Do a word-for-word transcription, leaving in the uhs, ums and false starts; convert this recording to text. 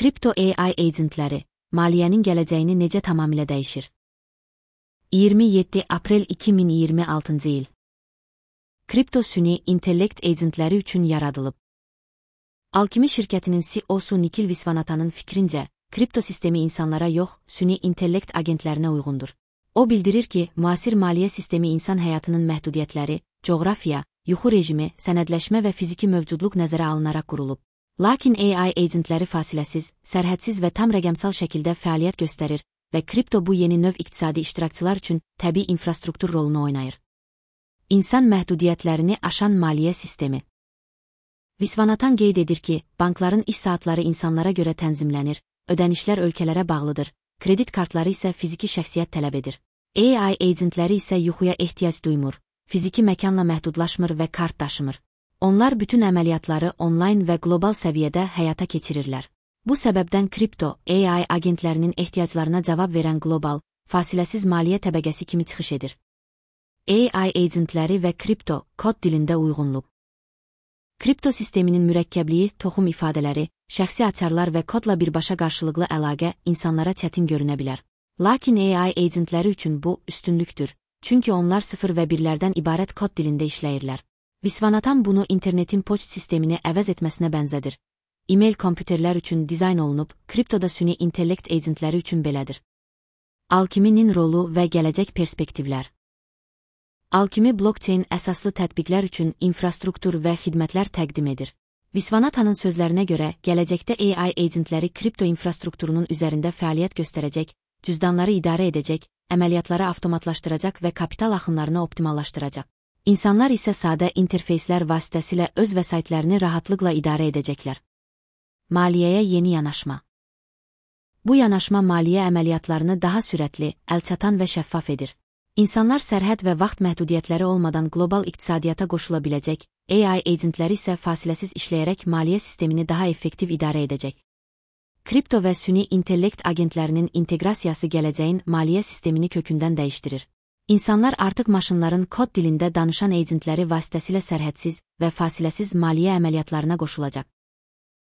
Kripto A I agentləri maliyyənin gələcəyini necə tamamilə dəyişir? iyirmi yeddi aprel iki min iyirmi altıncı il. Kripto süni intellekt agentləri üçün yaradılıb. Alchemy şirkətinin C E O-su Nikhil Viswanathan'ın fikrincə, kripto sistemi insanlara yox, süni intellekt agentlərinə uyğundur. O bildirir ki, müasir maliyyə sistemi insan həyatının məhdudiyyətləri, coğrafiya, yuxu rejimi, sənədləşmə və fiziki mövcudluq nəzərə alınaraq qurulub. Lakin A I agentləri fasiləsiz, sərhədsiz və tam rəqəmsal şəkildə fəaliyyət göstərir və kripto bu yeni növ iqtisadi iştirakçılar üçün təbii infrastruktur rolunu oynayır. İnsan məhdudiyyətlərini aşan maliyyə sistemi. Viswanathan qeyd edir ki, bankların iş saatları insanlara görə tənzimlənir, ödənişlər ölkələrə bağlıdır, kredit kartları isə fiziki şəxsiyyət tələb edir. A I agentləri isə yuxuya ehtiyac duymur, fiziki məkanla məhdudlaşmır və kart daşımır. Onlar bütün əməliyyatları onlayn və qlobal səviyyədə həyata keçirirlər. Bu səbəbdən kripto A I agentlərinin ehtiyaclarına cavab verən qlobal, fasiləsiz maliyyə təbəqəsi kimi çıxış edir. A I agentləri və kripto kod dilində uyğunluq. Kripto sisteminin mürəkkəbliyi, toxum ifadələri, şəxsi açarlar və kodla birbaşa qarşılıqlı əlaqə insanlara çətin görünə bilər. Lakin A I agentləri üçün bu üstünlükdür, çünki onlar sıfır və birlərdən ibarət kod dilində işləyirlər. Viswanathan bunu internetin poçt sistemini əvəz etməsinə bənzədir. E-mail kompüterlər üçün dizayn olunub, kriptoda süni intellekt agentləri üçün belədir. Alchemy'nin rolu və gələcək perspektivlər. Alchemy blockchain əsaslı tətbiqlər üçün infrastruktur və xidmətlər təqdim edir. Viswanathan'ın sözlərinə görə, gələcəkdə A I agentləri kripto infrastrukturunun üzərində fəaliyyət göstərəcək, cüzdanları idarə edəcək, əməliyyatları avtomatlaşdıracaq və kapital axınlarını optimallaşdıracaq. İnsanlar isə sadə interfeyslər vasitəsilə öz vəsaitlərini rahatlıqla idarə edəcəklər. Maliyyəyə yeni yanaşma. Bu yanaşma maliyyə əməliyyatlarını daha sürətli, əlçatan və şəffaf edir. İnsanlar sərhəd və vaxt məhdudiyyətləri olmadan qlobal iqtisadiyyata qoşula biləcək, A I agentləri isə fasiləsiz işləyərək maliyyə sistemini daha effektiv idarə edəcək. Kripto və süni intellekt agentlərinin inteqrasiyası gələcəyin maliyyə sistemini kökündən dəyişdirir. İnsanlar artıq maşınların kod dilində danışan agentləri vasitəsilə sərhədsiz və fasiləsiz maliyyə əməliyyatlarına qoşulacaq.